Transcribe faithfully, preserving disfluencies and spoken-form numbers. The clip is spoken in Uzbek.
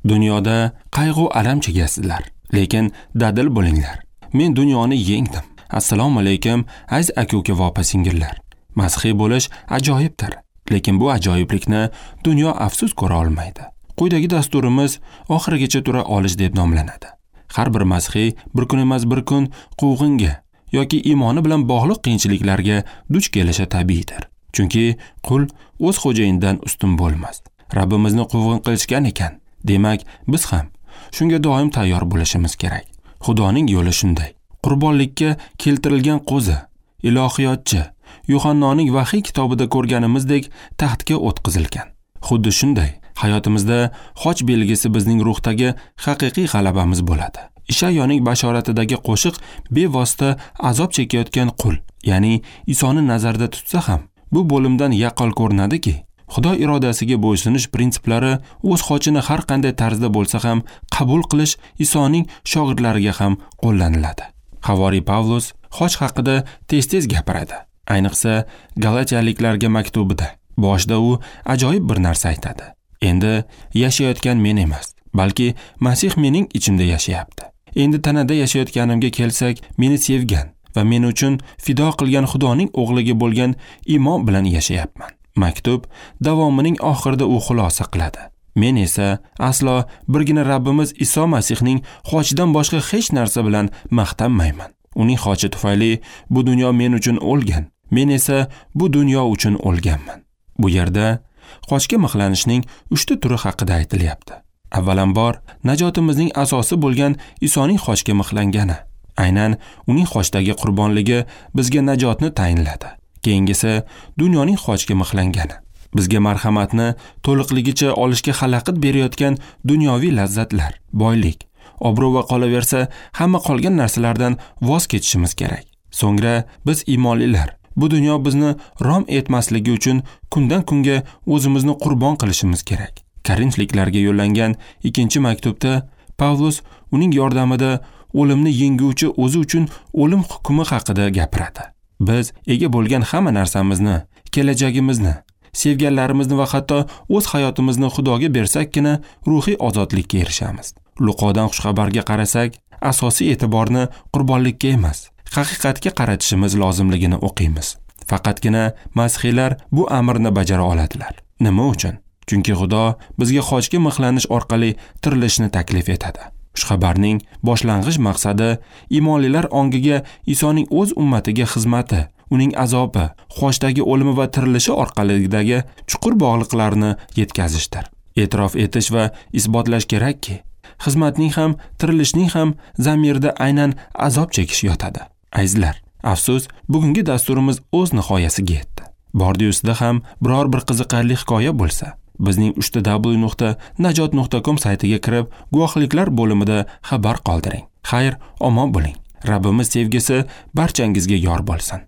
Dunyoda qayg'u alam chekasizlar, lekin dadil bo'linglar. Men dunyoni yengdim. Assalomu alaykum, aziz aka-uka va opa-singillar. Masihiy bo'lish ajoyibdir, lekin bu ajoyiblikni dunyo afsus ko'ra olmaydi. Quyidagi dasturimiz oxirigacha tura olish deb nomlanadi. Har bir masihiy bir kun emas bir kun quvg'inga yoki iymoni bilan bog'liq qiyinchiliklarga duch kelishi tabiiydir. Chunki qul o'z xo'jayinidan ustun bo'lmas. Rabbimizni quvg'in qilishgan ekan, demak biz ham shunga doim tayyor bo'lishimiz kerak. Xudoning yo'li shunday. Qurbonlikka keltirilgan qo'zi, ilohiyotchi Yuhannoning Vahiy kitobida ko'rganimizdek taxtga o'tqizilgan. Xuddi shunday hayotimizda xoch belgisi bizning ruhdagi haqiqiy g'alabamiz bo'ladi. Ishayoning bashoratidagi qo'shiq bevosita azob chekayotgan qul, ya'ni Isoni nazarda tutsa ham, bu bo'limdan yaqqol ko'rinadiki, Xudo irodasiga bo'ysunish prinsiplari o'z xochini har qanday tarzda bo'lsa ham qabul qilish Isoning shogirdlariga ham qo'llaniladi. Havoriy Pavlus xoch haqida tez-tez gapiradi. Ayniqsa Galatiyaliklarga maktubida. Boshida u ajoyib bir narsa aytadi. Endi yashayotgan men emas, balki Masih mening ichimda yashayapti. Endi tanada yashayotganimga kelsak, meni sevgan va men uchun fido qilgan Xudoning o'g'liga bo'lgan iymon bilan yashayapman. Maktub davomining oxirida u xulosa qiladi. Men esa aslo birgina Rabbimiz Iso Masihning xochidan boshqa hech narsa bilan maqtanmayman. Uning xochi tufayli bu dunyo men uchun o'lgan, men esa bu dunyo uchun o'lganman. Bu yerda xochga mixlanishning uchta turi haqida aytilyapti. Avvalambor, najotimizning asosi bo'lgan Isoning xochga mixlangani. Aynan uning xochdagi qurbonligi bizga najotni tayinladi. Keyingisi dunyoning xochga mixlangani. Bizga marhamatni to'liqligicha olishga xalaqit berayotgan dunyoviy lazzatlar, boylik, obro' va qolaversa hamma qolgan narsalardan voz kechishimiz kerak. So'ngra biz iymonlilar bu dunyo bizni rom etmasligi uchun kundan kunga o'zimizni qurbon qilishimiz kerak. Korinfliklarga yo'llangan ikkinchi maktubda Pavlus uning yordamida o'limni yenguvchi o'zi uchun o'lim hukmi haqida gapiradi. Biz ega bo'lgan hamma narsamizni, kelajagimizni, sevganlarimizni va hatto o'z hayotimizni Xudoga bersakkina ruhiy ozodlikka erishamiz. Luqodan xushxabarga qarasak, asosiy e'tiborni qurbonlikka emas, haqiqatga qaratishimiz lozimligini o'qiymiz. Faqatgina masihiylar bu amrni bajara oladilar. Nima uchun? Chunki Xudo bizga xochga mixlanish orqali tirilishni taklif etadi. Xushxabarning boshlang'ich maqsadi iymonlilar ongiga Isoning o'z ummatiga xizmati, uning azobi, xochdagi o'limi va tirilishi orqalidagi chuqur bog'liqlarni yetkazishdir. E'tirof etish va isbotlash kerakki, xizmatning ham, tirilishning ham zamirida aynan azob chekish yotadi. Azizlar, afsus, bugungi dasturimiz o'z nihoyasiga yetdi. Bordi-ustida ham biror bir qiziqarli hikoya bo'lsa, bizning uch w nuqta najot nuqta com saytiga kirib, guvohliklar bo'limida xabar qoldiring. Xayr, omon bo'ling. Rabbimiz sevgisi barchangizga yor bo'lsin.